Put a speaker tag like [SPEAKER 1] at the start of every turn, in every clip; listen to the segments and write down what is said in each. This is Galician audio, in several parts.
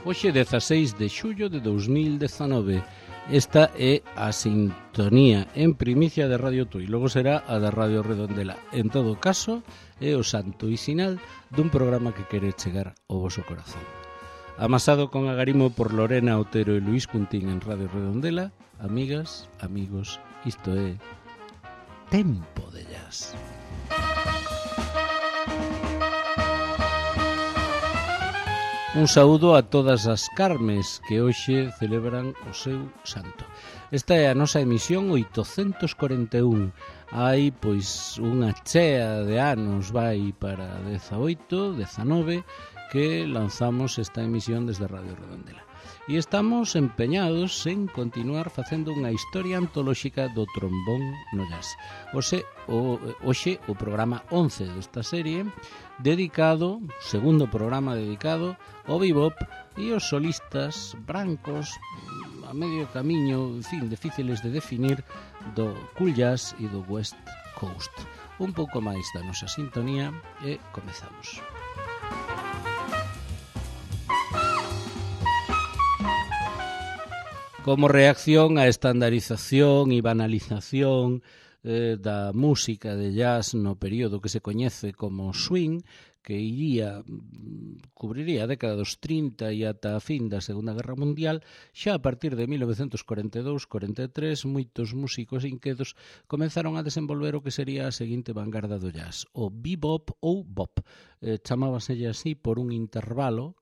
[SPEAKER 1] Hoxe 16 de xullo de 2019. Esta é a sintonía en primicia de Radio Tui, logo será a da Radio Redondela. En todo caso, é o santo e sinal dun programa que quere chegar ao voso corazón. Amasado con agarimo por Lorena Otero e Luís Cuntín en Radio Redondela, amigas, amigos, isto é Tempo de Jazz. Un saúdo a todas as Carmes que hoxe celebran o seu santo. Esta é a nosa emisión 841. Hai, pois, unha chea de anos, vai para 18, 19, que lanzamos esta emisión desde Radio Redondela. E estamos empeñados en continuar facendo unha historia antolóxica do trombón no jazz. Hoxe o programa 11 desta serie, dedicado, segundo programa dedicado ao bebop e os solistas brancos a medio camiño, en fin, difíciles de definir, do cool jazz e do West Coast. Un pouco máis da nosa sintonía e comezamos. Como reacción á estandarización e banalización da música de jazz no período que se coñece como swing, que cubriría a década dos 30 e ata a fin da Segunda Guerra Mundial, xa a partir de 1942-43, moitos músicos inquedos comenzaron a desenvolver o que sería a seguinte vanguarda do jazz, o bebop ou bop. Chamábaselle así por un intervalo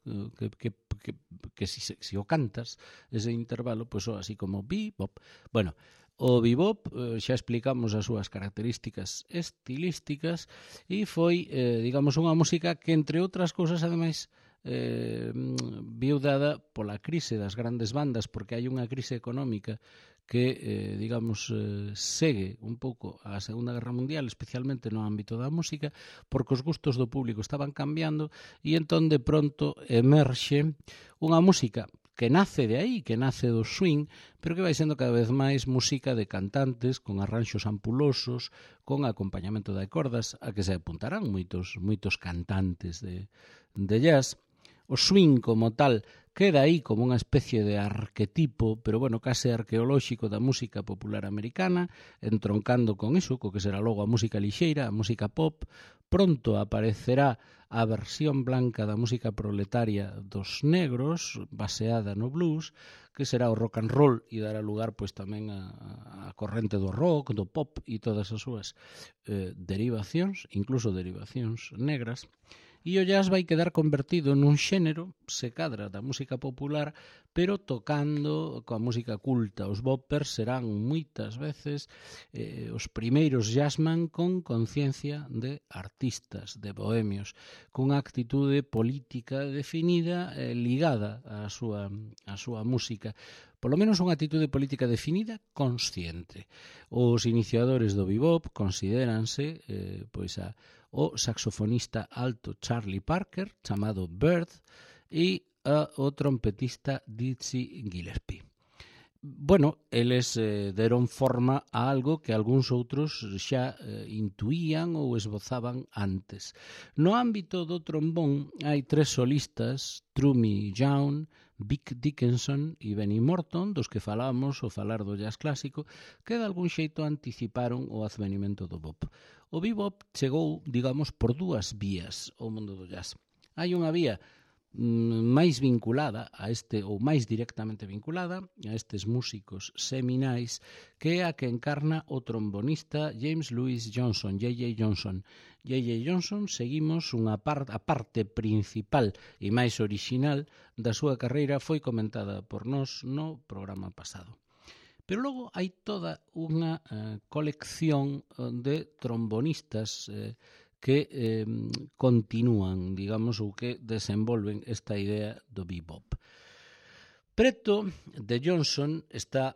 [SPEAKER 1] que si o cantas, ese intervalo, pois así como bebop. Bueno, o bebop xa explicamos as súas características estilísticas e foi, digamos, unha música que, entre outras cousas, ademais, viu dada pola crise das grandes bandas, porque hai unha crise económica que, digamos, segue un pouco a Segunda Guerra Mundial, especialmente no ámbito da música, porque os gustos do público estaban cambiando e entón de pronto emerxe unha música que nace de aí, que nace do swing, pero que vai sendo cada vez máis música de cantantes, con arranxos ampulosos, con acompañamento de cordas, a que se apuntarán moitos cantantes de jazz. O swing como tal queda aí como unha especie de arquetipo, pero bueno, case arqueolóxico da música popular americana, entroncando con iso, co que será logo a música lixeira, a música pop. Pronto aparecerá a versión blanca da música proletaria dos negros, baseada no blues, que será o rock and roll e dará lugar pois tamén a corrente do rock, do pop e todas as súas derivacións, incluso derivacións negras. E o jazz vai quedar convertido nun xénero, se cadra, da música popular, pero tocando coa música culta. Os boppers serán moitas veces os primeiros jazzman con conciencia de artistas, de bohemios, cunha actitude política definida ligada á súa música. Polo menos unha actitude política definida consciente. Os iniciadores do bebop considéranse o saxofonista alto Charlie Parker, chamado Bird, e o trompetista Dizzy Gillespie. Bueno, eles deron forma a algo que algúns outros xa intuían ou esbozaban antes. No ámbito do trombón hai tres solistas, Trummy Young, Vic Dickinson e Benny Morton, dos que falamos ao falar do jazz clásico, que de algún xeito anticiparon o advenimento do bop. O bebop chegou, digamos, por dúas vías ao mundo do jazz. Hai unha vía máis vinculada a ou máis directamente vinculada a estes músicos seminais, que é a que encarna o trombonista James Louis Johnson, J.J. Johnson. J.J. Johnson, seguimos a parte principal e máis orixinal da súa carreira, foi comentada por nós no programa pasado. Pero logo hai toda unha colección de trombonistas que continúan, digamos, ou que desenvolven esta idea do bebop. Preto de Johnson está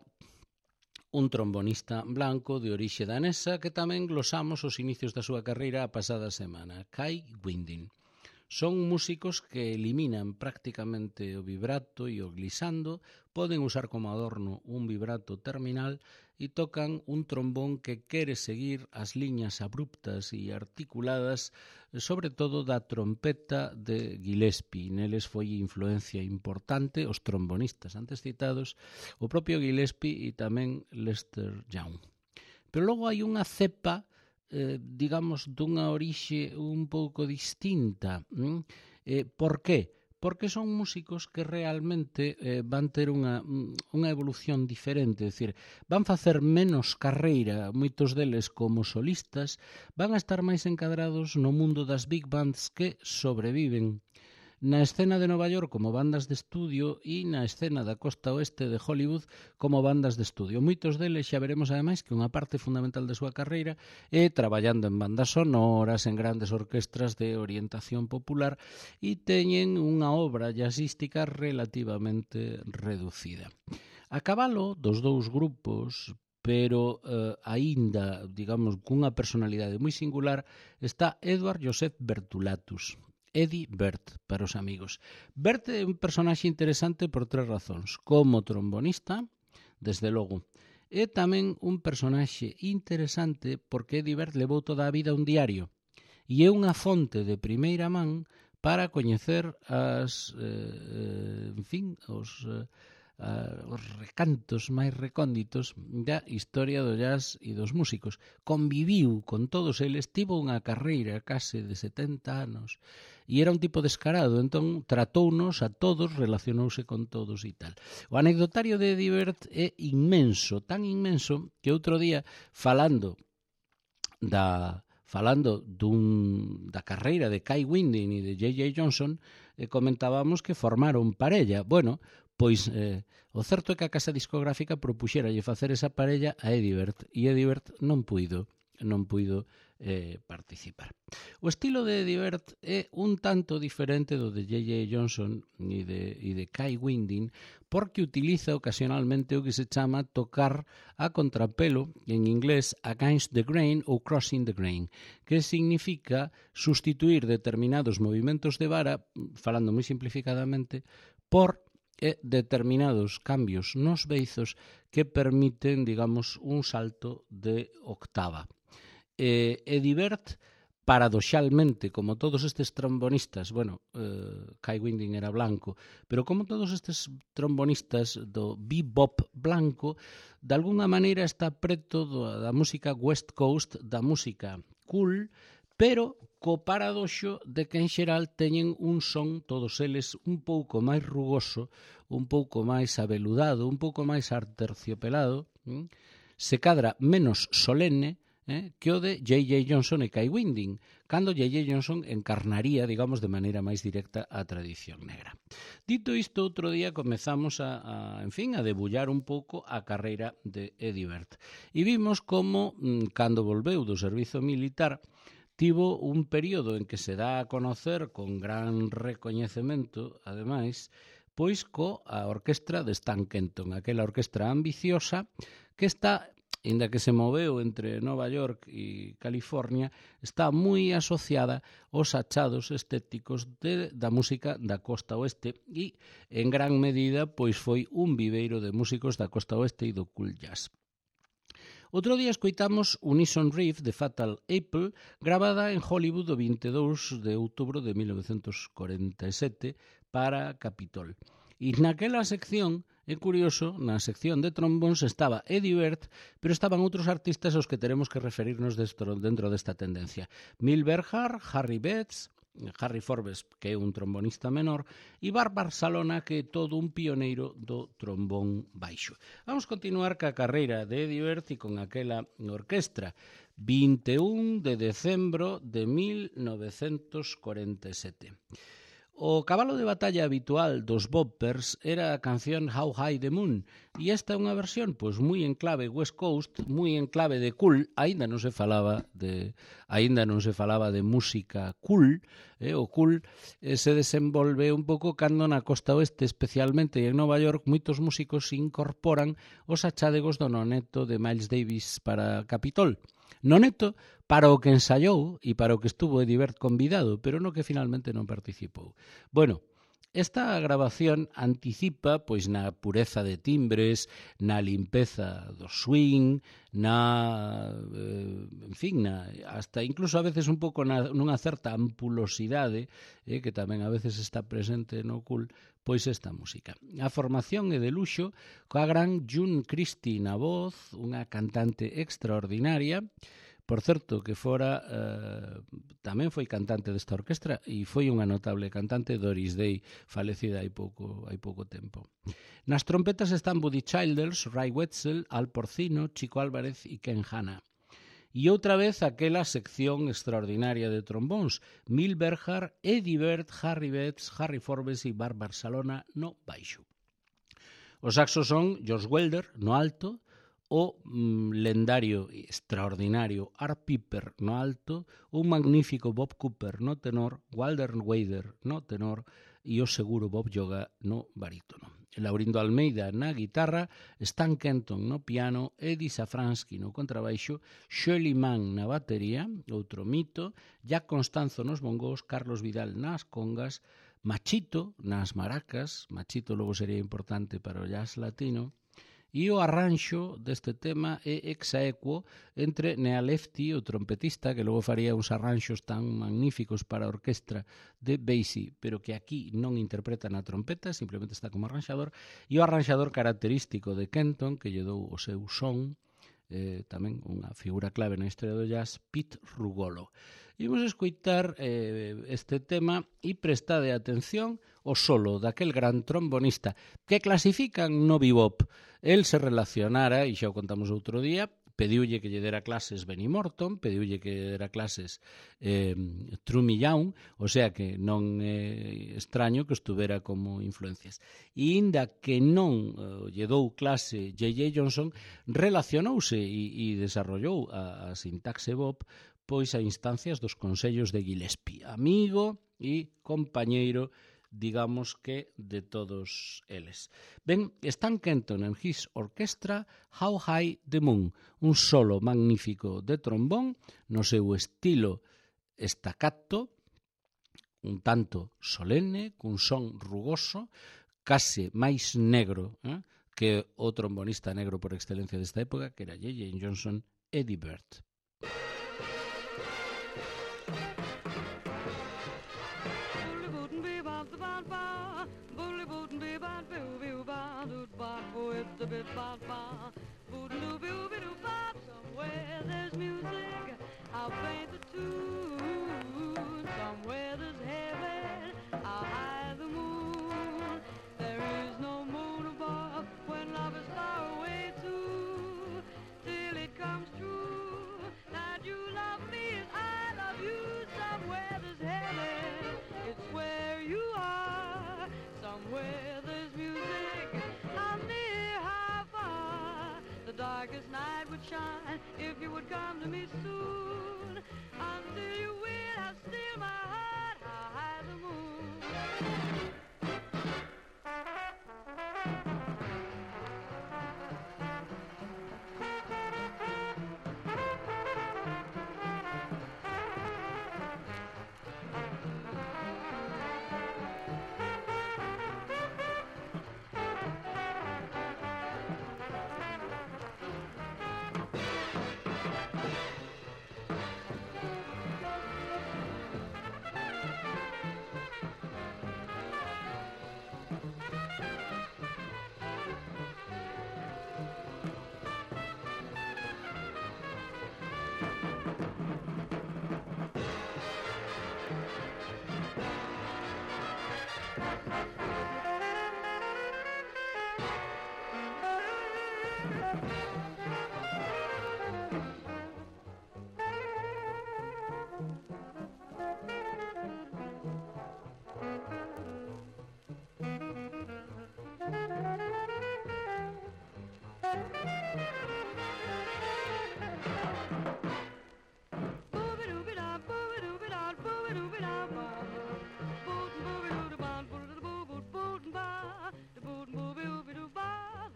[SPEAKER 1] un trombonista blanco de orixe danesa que tamén glosamos os inicios da súa carreira a pasada semana, Kai Winding. Son músicos que eliminan prácticamente o vibrato e o glissando, poden usar como adorno un vibrato terminal e tocan un trombón que quere seguir as liñas abruptas e articuladas, sobre todo da trompeta de Gillespie. Neles foi influencia importante os trombonistas antes citados, o propio Gillespie e tamén Lester Young. Pero logo hai unha cepa, digamos, dunha orixe un pouco distinta. Por qué? Porque son músicos que realmente van ter unha evolución diferente, é dicir, van facer menos carreira, moitos deles como solistas, van a estar máis encadrados no mundo das big bands que sobreviven na escena de Nova York como bandas de estudio e na escena da costa oeste de Hollywood como bandas de estudio. Moitos deles xa veremos ademais que unha parte fundamental da súa carreira é traballando en bandas sonoras, en grandes orquestras de orientación popular e teñen unha obra jazzística relativamente reducida. A cabalo dos dous grupos, pero aínda, digamos, cunha personalidade moi singular, está Edward Joseph Bertulatus. Eddie Bert, para os amigos. Bert é un personaxe interesante por tres razóns. Como trombonista, desde logo. É tamén un personaxe interesante porque Eddie Bert levou toda a vida un diario e é unha fonte de primeira man para coñecer os recantos máis recónditos da historia do jazz e dos músicos. Conviviu con todos eles, tivo unha carreira case de 70 anos e era un tipo descarado, entón tratounos a todos, relacionouse con todos e tal. O anecdotario de Eddie Bert é inmenso, tan inmenso que outro día falando da carreira de Kai Winding e de J.J. Johnson, comentábamos que formaron parella. Bueno, pois o certo é que a casa discográfica propuxéralle facer esa parella a Eddie Bert e Eddie Bert non puido participar. O estilo de Eddie Bert é un tanto diferente do de J.J. Johnson e de Kai Winding porque utiliza ocasionalmente o que se chama tocar a contrapelo, en inglés against the grain ou crossing the grain, que significa sustituir determinados movimentos de vara, falando moi simplificadamente, por determinados cambios nos beizos que permiten, digamos, un salto de octava. Eddie Bert, paradoxalmente, como todos estes trombonistas, Kai Winding era blanco, pero como todos estes trombonistas do bebop blanco, de alguna maneira está preto da música West Coast, da música cool, pero co paradoxo de que en xeral teñen un son, todos eles, un pouco máis rugoso, un pouco máis abeludado, un pouco máis arterciopelado, se cadra menos solene que o de J.J. Johnson e Kai Winding, cando J.J. Johnson encarnaría, digamos, de maneira máis directa a tradición negra. Dito isto, outro día comezamos a debullar un pouco a carreira de Eddie Bert. E vimos como, cando volveu do servizo militar, tivo un período en que se dá a conocer con gran recoñecemento, ademais, pois coa orquestra de Stan Kenton, aquela orquestra ambiciosa que está, inda que se moveu entre Nova York e California, está moi asociada aos achados estéticos da música da costa oeste e, en gran medida, pois foi un viveiro de músicos da costa oeste e do cool jazz. Outro día escoitamos Unison Reef de Fatal Apple, gravada en Hollywood o 22 de outubro de 1947 para Capitol. E naquela sección, é curioso, na sección de trombóns estaba Eddie Bert, pero estaban outros artistas aos que teremos que referirnos dentro desta tendencia. Mil Berhart, Harry Betts, Harry Forbes, que é un trombonista menor, e Barbara Salona, que é todo un pioneiro do trombón baixo. Vamos continuar ca carreira de Eddie Bert e con aquela orquestra. 21 de decembro de 1947. O cabalo de batalla habitual dos boppers era a canción How High the Moon, e esta é unha versión pois moi en clave West Coast, moi en clave de cool, aínda non se falaba de música cool, o cool se desenvolve un pouco cando na costa oeste, especialmente en Nova York, moitos músicos incorporan os achádegos do noneto de Miles Davis para Capitol. Noneto para o que ensaiou e para o que estuvo Eddie Bert convidado, pero no que finalmente non participou. Bueno, Esta grabación anticipa pois na pureza de timbres, na limpeza do swing, hasta incluso a veces un pouco nunha certa ampulosidade, que tamén a veces está presente no cool, pois esta música. A formación é de luxo, coa gran June Christie na voz, unha cantante extraordinaria. Por certo, que fora tamén foi cantante desta orquestra e foi unha notable cantante, Doris Day, falecida hai pouco tempo. Nas trompetas están Buddy Childers, Ray Wetzel, Al Porcino, Chico Álvarez e Ken Hanna. E outra vez aquela sección extraordinaria de trombóns, Mil Berhard, Eddie Bird, Harry Betts, Harry Forbes e Bart Barcelona no baixo. Os saxos son George Welder no alto, o lendario e extraordinario Art Piper no alto, un magnífico Bob Cooper no tenor, Walter Wader no tenor e o seguro Bob Yoga no barítono. Laurindo Almeida na guitarra, Stan Kenton no piano, Eddie Safransky no contrabaixo, Shirley Mann na batería, outro mito, Jack Constanzo nos bongos, Carlos Vidal nas congas, Machito nas maracas, Machito logo sería importante para o jazz latino, e o arranxo deste tema é exaequo entre Nea Lefty, o trompetista, que logo faría uns arranxos tan magníficos para a orquestra de Basie, pero que aquí non interpreta na trompeta, simplemente está como arranxador, e o arranxador característico de Kenton, que lle dou o seu son, tamén unha figura clave na historia do jazz, Pete Rugolo. Imos escoitar este tema e prestade atención o solo daquel gran trombonista que clasifican no bebop. El se relacionara, e xa o contamos outro día, pediulle que lle dera clases Benny Morton, pediulle que lle dera clases Trumi Young, o sea que non é extraño que estuvera como influencias. E inda que non lle dou clase J.J. Johnson, relacionouse e desarrollou a sintaxe bop pois a instancias dos consellos de Gillespie, amigo e compañeiro, digamos que de todos eles. Ben, Stan Kenton en His Orchestra, How High the Moon, un solo magnífico de trombón no seu estilo staccato, un tanto solene, cun son rugoso, case máis negro que o trombonista negro por excelencia desta época, que era J.J. Johnson, Eddie Bird.
[SPEAKER 2] Somewhere there's music, I'll paint the tune. Somewhere there's heaven, I'll hide the moon. There is no moon above when love is far away too. Till it comes true that you love me as I love you. Somewhere there's heaven, it's where you are. Somewhere there's music, how near, how far. The darkest night would shine if you would come to me soon. Until you will, I'll steal my heart, how high the moon.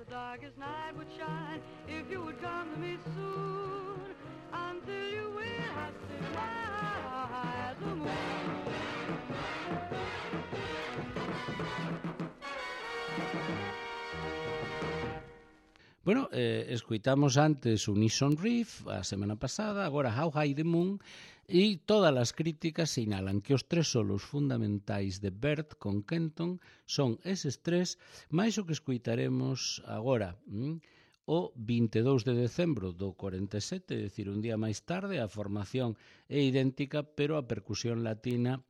[SPEAKER 2] Darkest night would shine if you would come to me soon. Until you will, I still my high the moon.
[SPEAKER 1] Bueno, escuitamos antes Unison Reef a semana pasada, agora How High the Moon, e todas as críticas sinalan que os tres solos fundamentais de Bert con Kenton son eses tres, máis o que escuitaremos agora. O 22 de decembro do 47, é dicir, un día máis tarde, a formación é idéntica, pero a percusión latina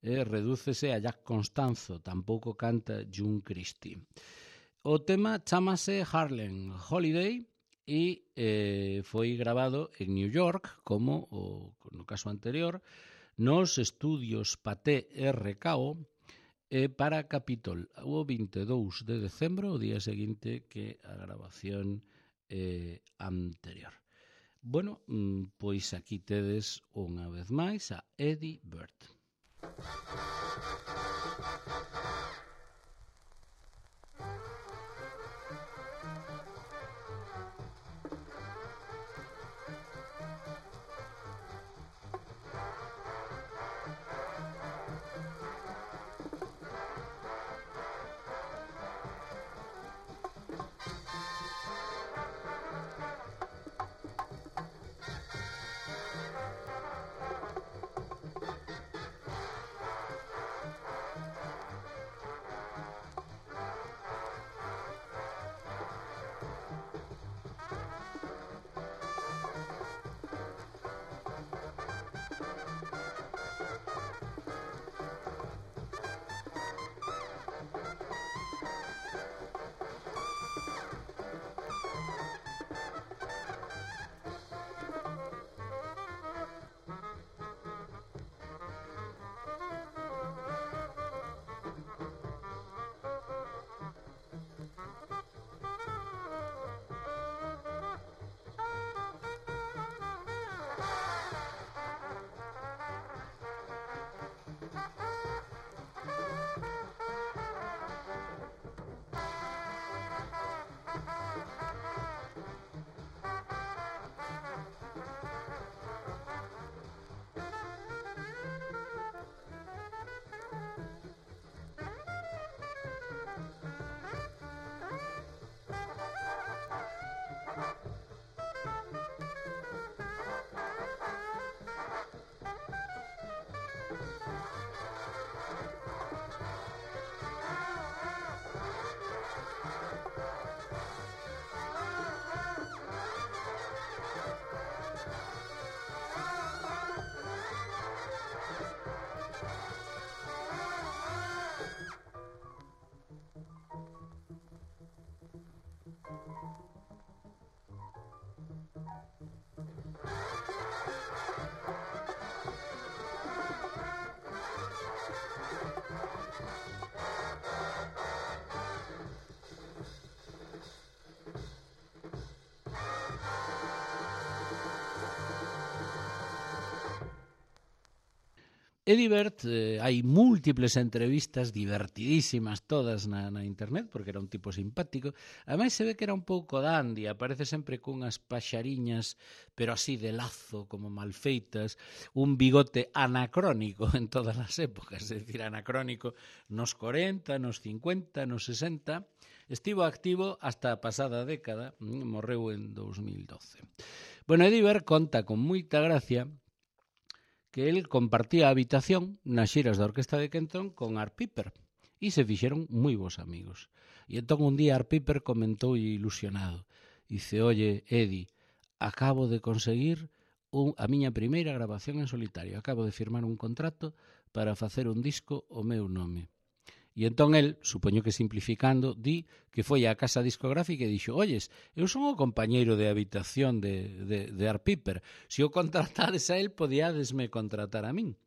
[SPEAKER 1] redúcese a Jack Constanzo, tampouco canta June Christie. O tema chamase Harlem Holiday e foi grabado en New York, como no caso anterior, nos estudios Pathé RKO para Capitol, o 22 de decembro, o día seguinte que a grabación anterior. Bueno, pois aquí tedes unha vez máis a Eddie Bert. Eddie Bert, hai múltiples entrevistas divertidísimas todas na internet, porque era un tipo simpático. Ademais se ve que era un pouco dandy, aparece sempre cunhas paxariñas, pero así de lazo, como mal feitas, un bigote anacrónico en todas as épocas, é dicir, anacrónico nos 40, nos 50, nos 60. Estivo activo hasta a pasada década, morreu en 2012. Bueno, Eddie Bert conta con moita gracia que el compartía a habitación nas xiras da Orquesta de Kenton con Art Piper e se fixeron moi bons amigos. E entón un día Art Piper comentou ilusionado, dice, oye, Eddie, acabo de conseguir a miña primeira grabación en solitario, acabo de firmar un contrato para facer un disco o meu nome. E entón el, supoño que simplificando, di que foi á casa discográfica e dixo, oyes, eu son o compañeiro de habitación de Art Piper, se o contratades a el, podíadesme contratar a min.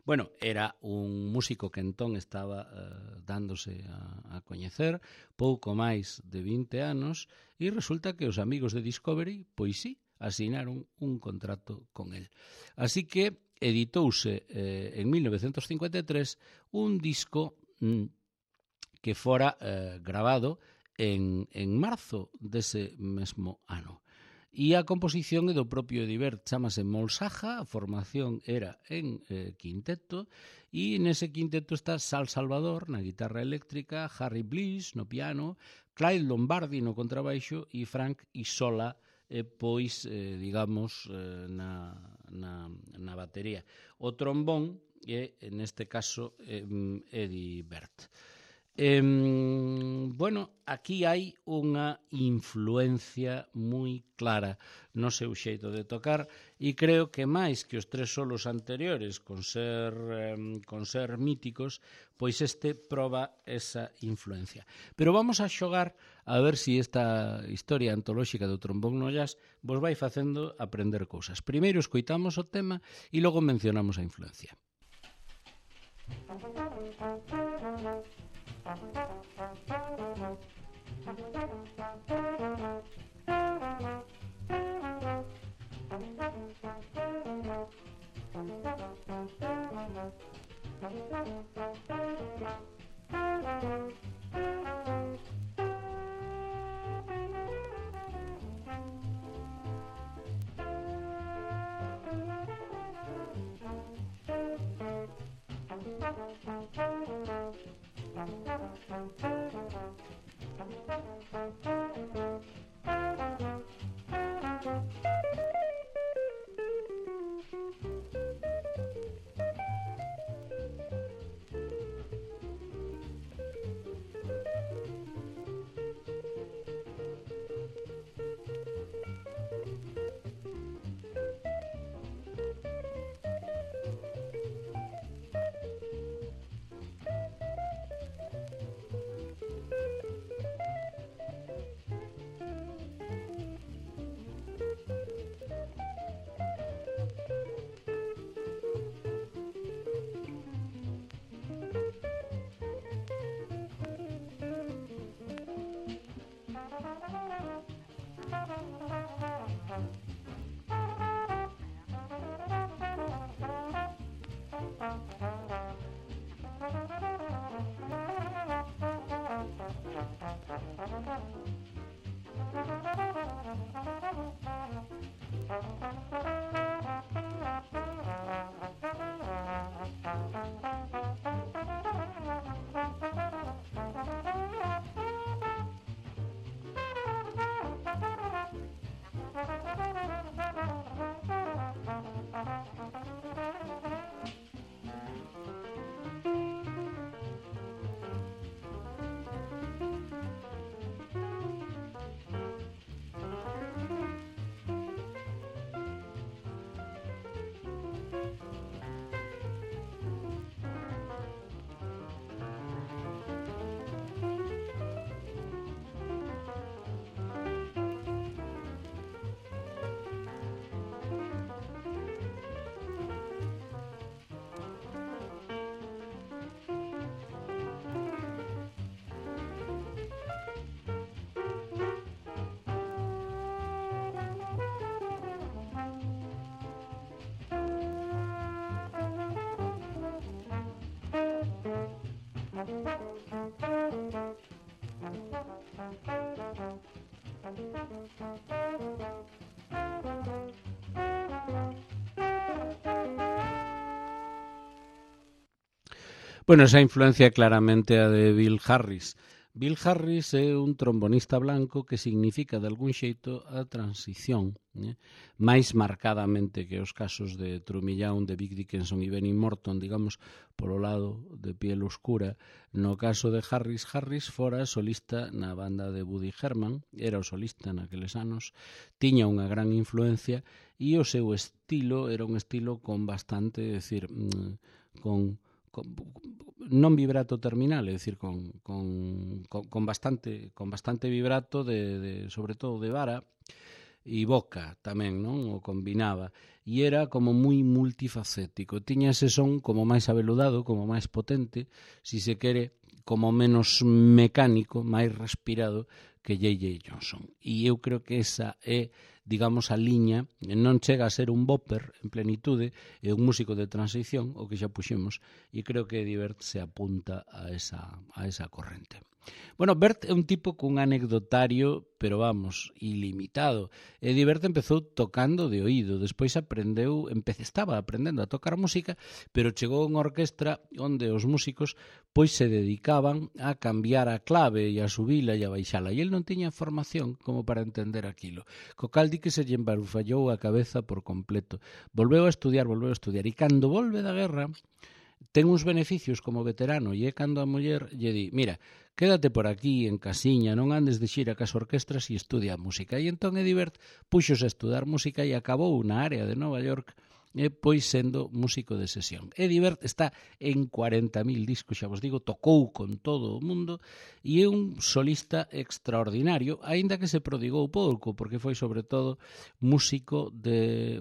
[SPEAKER 1] Bueno, era un músico que entón estaba dándose a coñecer, pouco máis de 20 anos, e resulta que os amigos de Discovery, pois sí, asinaron un contrato con el. Así que editouse en 1953 un disco que fora grabado en marzo dese mesmo ano. E a composición é do propio Eddie Bert, chamase Molsaja, a formación era en quinteto, e nese quinteto está Sal Salvador na guitarra eléctrica, Harry Bliss no piano, Clyde Lombardi no contrabaixo e Frank Isola pois, digamos, na batería. O trombón é, neste caso, Eddie Bert. Bueno, aquí hai unha influencia moi clara no seu xeito de tocar e creo que máis que os tres solos anteriores con ser míticos, pois este proba esa influencia. Pero vamos a xogar a ver se esta historia antolóxica do trombón no jazz vos vai facendo aprender cousas. Primeiro escoitamos o tema e logo mencionamos a influencia. Bueno, esa influencia claramente a de Bill Harris. Bill Harris é un trombonista blanco que significa de algún xeito a transición, máis marcadamente que os casos de Trumillán, de Vic Dickinson e Benny Morton, digamos, polo lado de piel oscura. No caso de Harris, Harris fora solista na banda de Woody Herman, era o solista naqueles anos, tiña unha gran influencia e o seu estilo era un estilo con bastante, é dicir, non vibrato terminal, é dicir, con bastante vibrato sobre todo de vara e boca tamén, non? O combinaba e era como moi multifacético, tiña ese son como máis abeludado, como máis potente, si se quere, como menos mecánico, máis respirado que J.J. Johnson. E eu creo que esa é, digamos, a liña non chega a ser un bopper en plenitude, é un músico de transición, o que xa puxemos, e creo que Eddie Bert se apunta a esa corrente. Bueno, Bert é un tipo cun anecdotario, pero vamos, ilimitado. Eddie Bert empezou tocando de oído, despois estaba aprendendo a tocar música, pero chegou a unha orquestra onde os músicos pois se dedicaban a cambiar a clave e a subila e a baixala, e el non tiña formación como para entender aquilo. Co cal di que se lle embarufallou a cabeza por completo. Volveu a estudiar, e cando volve da guerra ten uns beneficios como veterano, e é cando a muller lle di, mira, quédate por aquí en casiña, non andes de xira cas orquestras e estudia música. E entón Eddie Bert puxose a estudar música e acabou na área de Nova York pois sendo músico de sesión. Eddie Bert está en 40.000 discos, xa vos digo, tocou con todo o mundo e é un solista extraordinario, aínda que se prodigou pouco, porque foi sobre todo músico de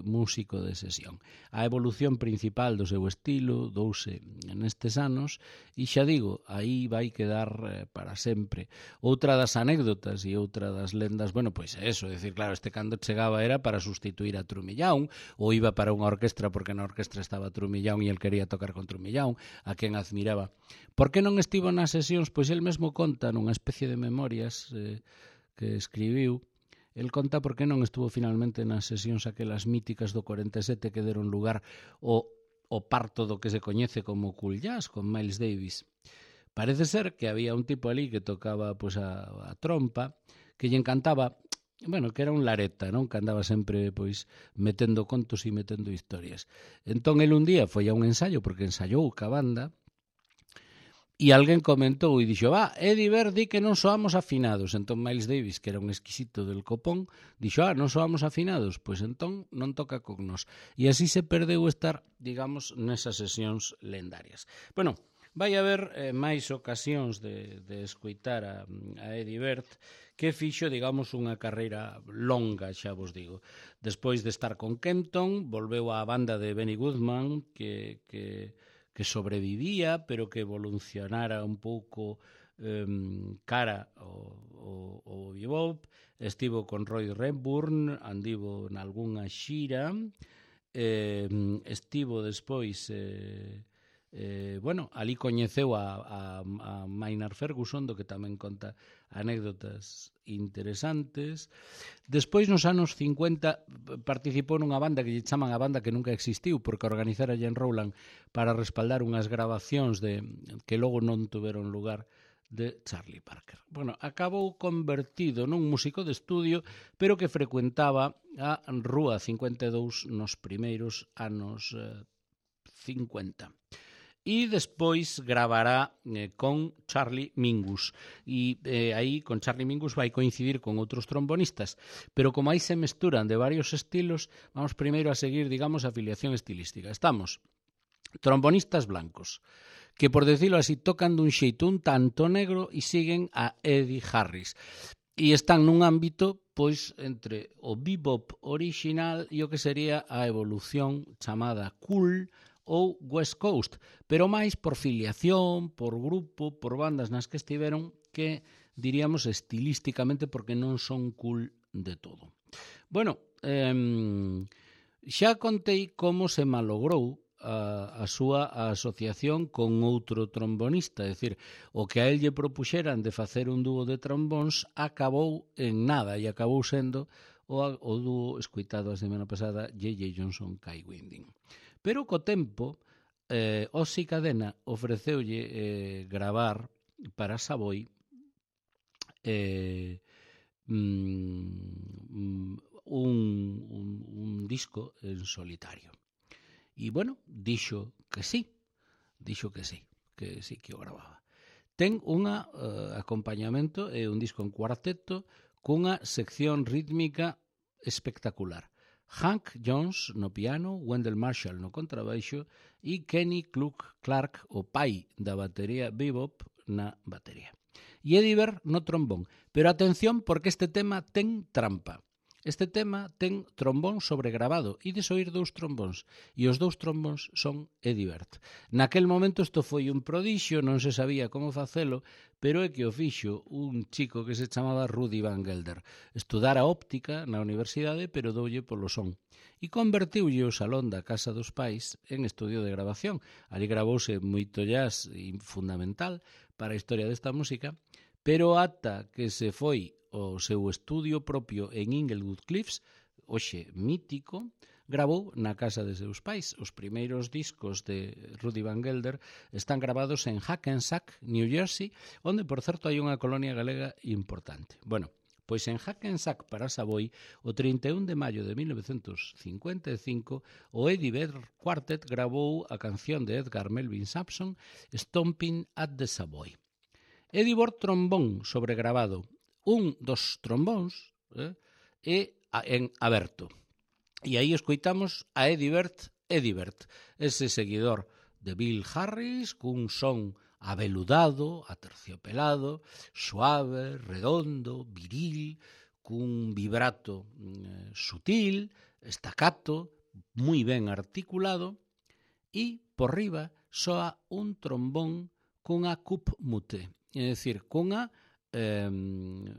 [SPEAKER 1] sesión. A evolución principal do seu estilo douse nestes anos e xa digo, aí vai quedar para sempre. Outra das anécdotas e outra das lendas, bueno, pois é eso, decir, claro, este cando chegaba era para sustituir a Trumillán ou iba para unha orquestra porque na orquestra estaba Trumillán e el quería tocar con Trumillán, a quen admiraba. Por que non estivo nas sesións? Pois el mesmo conta nunha especie de memorias que escribiu. El conta por que non estuvo finalmente nas sesións aquelas míticas do 47 que deron lugar o parto do que se coñece como cool jazz con Miles Davis. Parece ser que había un tipo ali que tocaba pois a trompa, que lle encantaba, bueno, que era un lareta, non? Que andaba sempre pois metendo contos e metendo historias. Entón el un día foi a un ensaio porque ensaiou ca banda e alguén comentou e dixo, Eddie Bert di que non soamos afinados. Entón Miles Davis, que era un exquisito del copón, dixo, non soamos afinados, pois entón non toca con nós. E así se perdeu estar, digamos, nesas sesións lendarias. Bueno, vai haber máis ocasións de escoitar a Eddie Bert, que fixo, digamos, unha carreira longa, xa vos digo. Despois de estar con Kenton, volveu á banda de Benny Goodman, que sobrevivía, pero que evolucionara un pouco cara ao bebop. Estivo con Roy Redburn, andivo nalgúnha xira, estivo despois... bueno, ali coñeceu a Maynard Ferguson, do que tamén conta anécdotas interesantes. Despois, nos anos 50, participou nunha banda que lle chaman a banda que nunca existiu, porque organizara Jen Rowland para respaldar unhas grabacións que logo non tuveron lugar de Charlie Parker. Bueno, acabou convertido nun músico de estudio, pero que frecuentaba a Rúa 52 nos primeiros anos 50. E despois gravará con Charlie Mingus. E aí con Charlie Mingus vai coincidir con outros trombonistas. Pero como aí se mesturan de varios estilos, vamos primeiro a seguir, digamos, a afiliación estilística. Estamos trombonistas blancos, que por decirlo así tocan dun xeito un tanto negro e siguen a Eddie Harris. E están nun ámbito pois entre o bebop original e o que sería a evolución chamada cool ou West Coast, pero máis por filiación, por grupo, por bandas nas que estiveron, que diríamos estilísticamente porque non son cool de todo. Bueno, xa contei como se malogrou a súa asociación con outro trombonista, é dicir, o que a él lle propuxeran de facer un dúo de trombóns acabou en nada e acabou sendo o dúo escoitado a semana pasada, J.J. Johnson, Kai Winding. Pero co tempo, Ozzy Cadena ofreceulle gravar para Savoy un disco en solitario. E, bueno, dixo que sí, que o gravaba. Ten un acompañamento, un disco en cuarteto, cunha sección rítmica espectacular. Hank Jones no piano, Wendell Marshall no contrabaixo e Kenny Clark, o pai da batería bebop, na batería. E Eddie Bert no trombón. Pero atención, porque este tema ten trampa. Este tema ten trombón sobregravado, ides oír 2 trombóns, e os 2 trombóns son Eddie Bert. Naquel momento isto foi un prodixio, non se sabía como facelo, pero é que o fixo un chico que se chamaba Rudy Van Gelder. Estudara óptica na universidade, pero doulle polo son. E convertiulle o salón da casa dos pais en estudio de grabación. Ali gravouse moito jazz fundamental para a historia desta música, pero ata que se foi o seu estudio propio en Inglewood Cliffs, hoxe mítico, gravou na casa de seus pais. Os primeiros discos de Rudy Van Gelder están gravados en Hackensack, New Jersey, onde, por certo, hai unha colonia galega importante. Bueno, pois en Hackensack para Savoy, o 31 de maio de 1955, o Eddie Bert Quartet gravou a canción de Edgar Melvin Sampson, Stomping at the Savoy. Eddie Bert trombón sobregravado. Un dos trombóns é en aberto. E aí escoitamos a Eddie Bert, ese seguidor de Bill Harris, cun son aveludado, aterciopelado, suave, redondo, viril, cun vibrato sutil, estacato, moi ben articulado, e por riba soa un trombón cunha cup mute, é dicir, cunha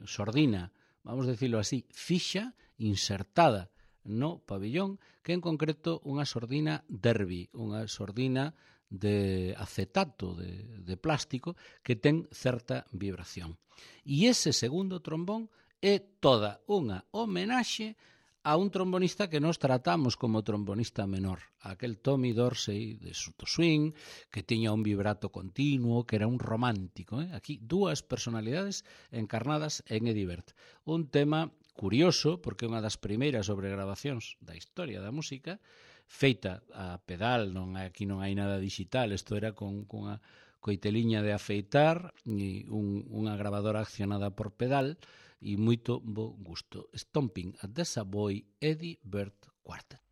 [SPEAKER 1] sordina, vamos decirlo así, fixa, insertada no pabillón, que en concreto unha sordina Derby, unha sordina de acetato, de plástico, que ten certa vibración. E ese segundo trombón é toda unha homenaxe a un trombonista que nos tratamos como trombonista menor, aquel Tommy Dorsey de Suto Swing, que tiña un vibrato continuo, que era un romántico. Aquí, 2 personalidades encarnadas en Eddie Bert. Un tema curioso, porque é unha das primeiras sobregravacións da historia da música, feita a pedal, aquí non hai nada digital, isto era con unha coiteliña de afeitar e unha grabadora accionada por pedal, e moito bo gusto. Stomping at the Savoy, Eddie Bert Quartet.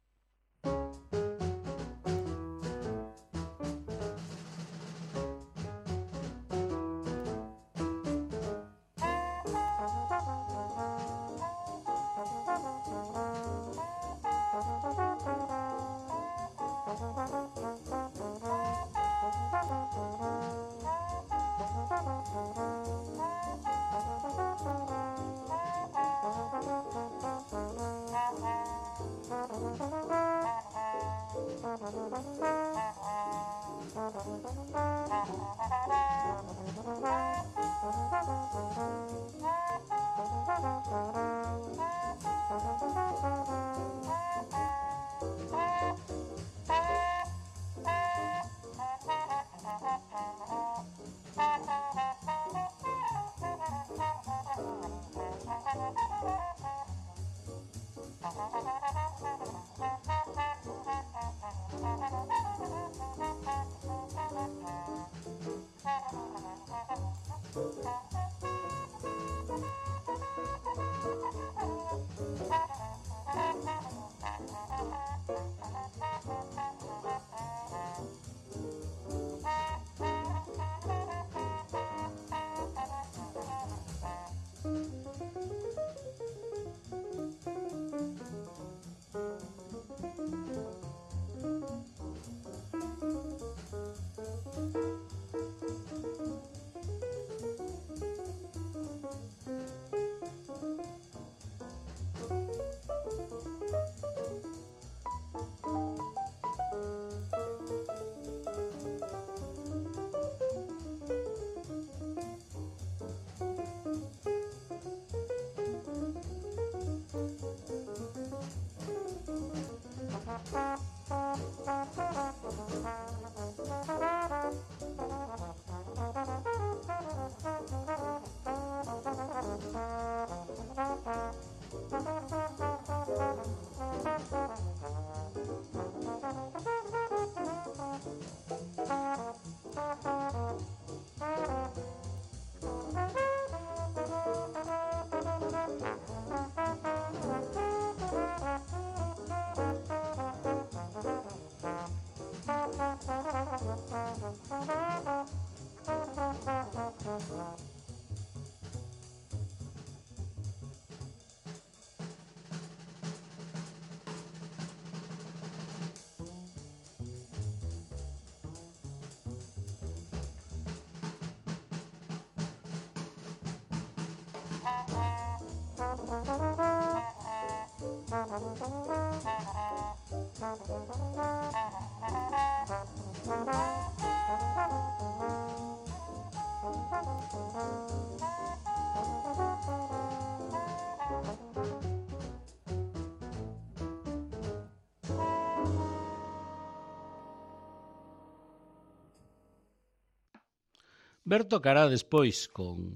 [SPEAKER 1] Ver tocará despois con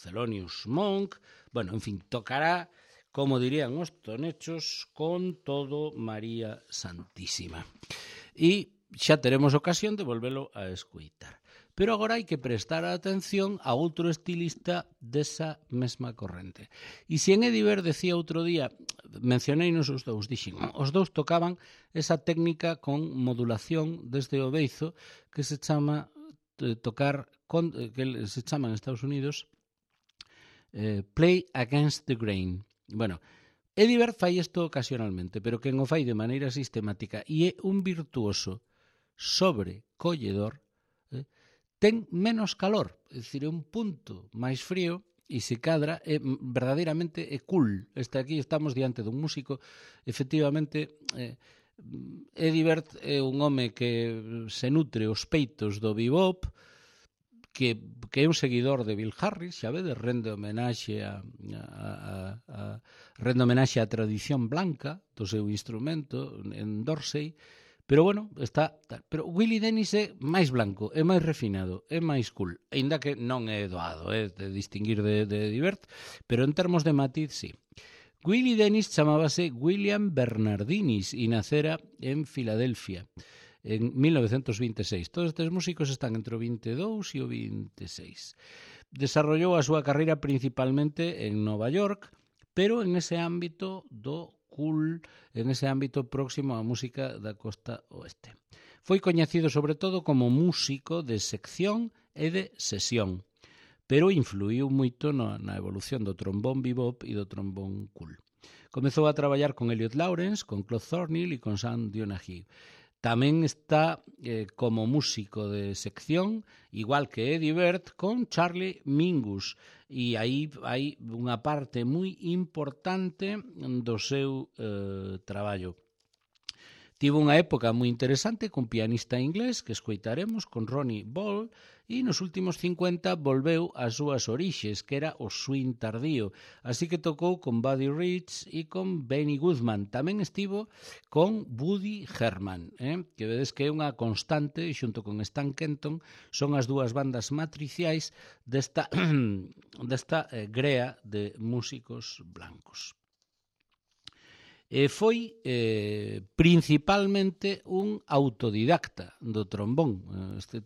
[SPEAKER 1] Thelonious Monk, bueno, en fin, tocará, como dirían os tonechos, con todo María Santísima. E xa teremos ocasión de volvelo a escoitar. Pero agora hai que prestar atención a outro estilista desa mesma corrente. E se en Ediver decía outro día, mencioneinos os dous, dixen, os dous tocaban esa técnica con modulación desde o beizo que se chama tocar, que se chama en Estados Unidos play against the grain. Bueno, Ediver fai isto ocasionalmente, pero quen o fai de maneira sistemática e é un virtuoso sobrecolledor, ten menos calor, é dicir, é un punto máis frío e se cadra é verdadeiramente é cool. Aquí estamos diante dun músico, efectivamente. Eddie Bird é un home que se nutre os peitos do bebop, que é un seguidor de Bill Harris, xa vedes, rende homenaxe a tradición blanca do seu instrumento en Dorsey, pero bueno, pero Willie Dennis é máis blanco, é máis refinado, é máis cool, aínda que non é doado de distinguir de Eddie Bird, pero en termos de matiz, sí. Willie Dennis chamábase William Bernardinis e nacera en Filadelfia en 1926. Todos estes músicos están entre o 22 e o 26. Desarrollou a súa carreira principalmente en Nova York, pero en ese ámbito do cool, en ese ámbito próximo á música da costa oeste. Foi coñecido sobre todo como músico de sección e de sesión, pero influiu moito na evolución do trombón bebop e do trombón cool. Comezou a traballar con Elliot Lawrence, con Claude Thornhill e con Sam Donahue. Tamén está como músico de sección, igual que Eddie Bird, con Charlie Mingus. E aí hai unha parte moi importante do seu traballo. Tivo unha época moi interesante con pianista inglés que escoitaremos, con Ronnie Ball, e nos últimos 50 volveu ás súas orixes, que era o swing tardío. Así que tocou con Buddy Rich e con Benny Goodman. Tamén estivo con Woody Herman, que vedes que é unha constante, xunto con Stan Kenton, son as dúas bandas matriciais desta grea de músicos blancos. Foi principalmente un autodidacta do trombón.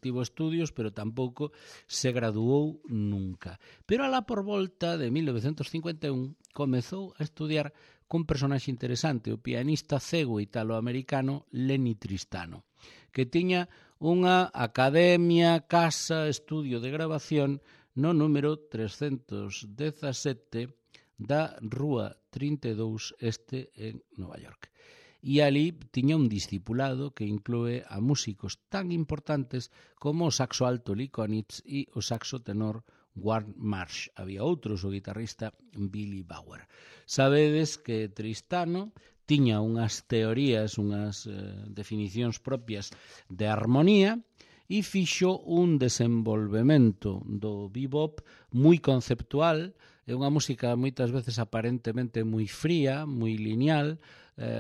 [SPEAKER 1] Tivo estudios, pero tampouco se graduou nunca. Pero alá por volta de 1951 comezou a estudiar cun personaxe interesante, o pianista cego italoamericano Lenny Tristano, que tiña unha academia, casa, estudio de grabación no número 317 da Rúa 32 Este en Nova York. E ali tiña un discipulado que inclúe a músicos tan importantes como o saxo alto Lee Konitz e o saxo tenor Ward Marsh. Había outros, o guitarrista Billy Bauer. Sabedes que Tristano tiña unhas teorías, unhas definicións propias de armonía, e fixo un desenvolvemento do bebop moi conceptual. É unha música moitas veces aparentemente moi fría, moi lineal,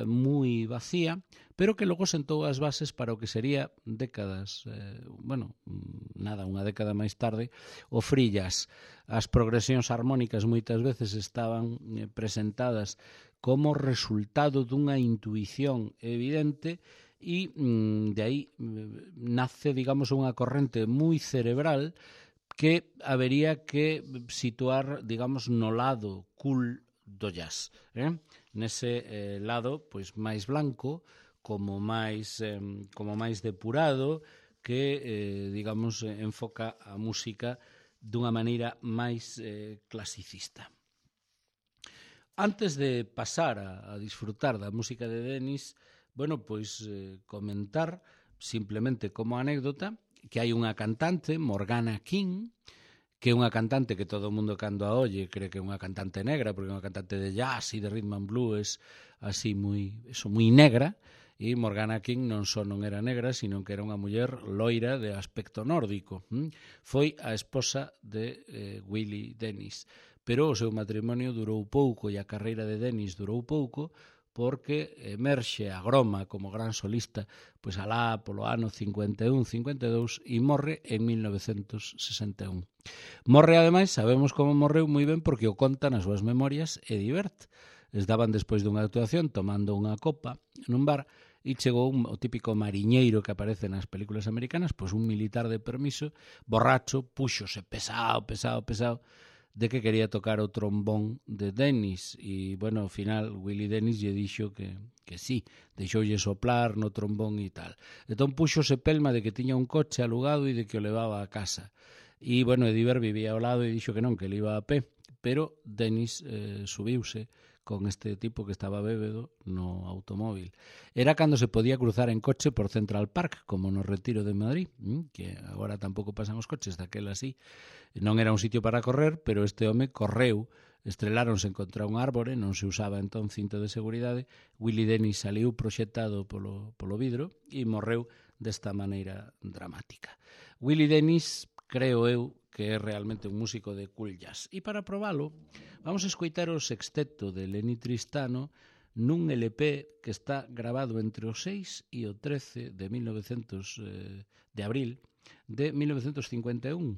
[SPEAKER 1] moi vacía, pero que logo sentou as bases para o que sería décadas, unha década máis tarde, o free jazz. As progresións armónicas moitas veces estaban presentadas como resultado dunha intuición evidente, e de aí nace, digamos, unha corrente moi cerebral que habería que situar, digamos, no lado cool do jazz, nese lado pois máis blanco, como máis depurado, que, digamos, enfoca a música dunha maneira máis clasicista. Antes de pasar a disfrutar da música de Dennis, comentar simplemente como anécdota que hai unha cantante, Morgana King, que é unha cantante que todo o mundo cando a olle cree que é unha cantante negra, porque é unha cantante de jazz e de rhythm and blues, así moi negra, e Morgana King non só non era negra, sino que era unha muller loira de aspecto nórdico. Foi a esposa de Willie Dennis, pero o seu matrimonio durou pouco e a carreira de Dennis durou pouco, porque emerxe a Groma como gran solista pois alá polo ano 51-52 e morre en 1961. Morre, ademais, sabemos como morreu moi ben porque o conta nas súas memorias Eddie Bert. Estaban despois dunha actuación tomando unha copa nun bar e chegou o típico mariñeiro que aparece nas películas americanas, pois un militar de permiso, borracho, púxose pesado, de que quería tocar o trombón de Dennis e, bueno, ao final Willie Dennis lle dixo que sí, deixoulle soplar no trombón e tal. Entón puxose pelma de que tiña un coche alugado e de que o levaba a casa. E, bueno, Ediver vivía ao lado e dixo que non, que ele iba a pé, pero Dennis subiuse con este tipo que estaba bébedo no automóvil. Era cando se podía cruzar en coche por Central Park, como no Retiro de Madrid, que agora tampouco pasan os coches, daquela así. Non era un sitio para correr, pero este home correu, estreláronse contra un árbore, non se usaba entón cinto de seguridade, Willie Dennis saliu proxectado polo vidro e morreu desta maneira dramática. Willie Dennis, creo eu, que é realmente un músico de cool jazz. E para probalo, vamos a escoitar o sexteto de Lenny Tristano nun LP que está grabado entre o 6 e o 13 de abril de 1951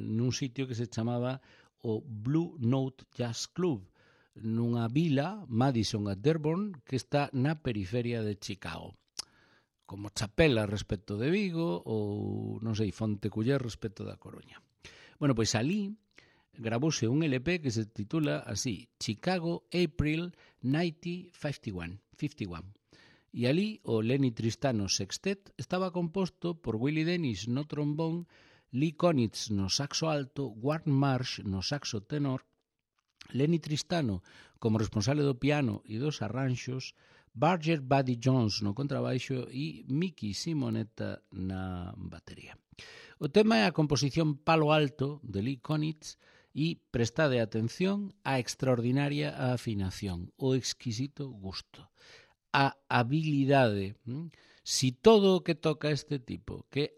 [SPEAKER 1] nun sitio que se chamaba o Blue Note Jazz Club, nunha vila, Madison at Dearborn, que está na periferia de Chicago, como Chapela respecto de Vigo ou, non sei, Fonteculler respecto da Coruña. Bueno, pois alí gravouse un LP que se titula así, Chicago April 1951. E alí o Lenny Tristano Sextet estaba composto por Willie Dennis no trombón, Lee Konitz no saxo alto, Ward Marsh no saxo tenor, Lenny Tristano como responsable do piano e dos arranxos, Barger Buddy Jones no contrabaixo e Mickey Simonetta na batería. O tema é a composición Palo Alto de Lee Konitz e prestade atención á extraordinaria afinación, o exquisito gusto, a habilidade. Si todo o que toca este tipo, que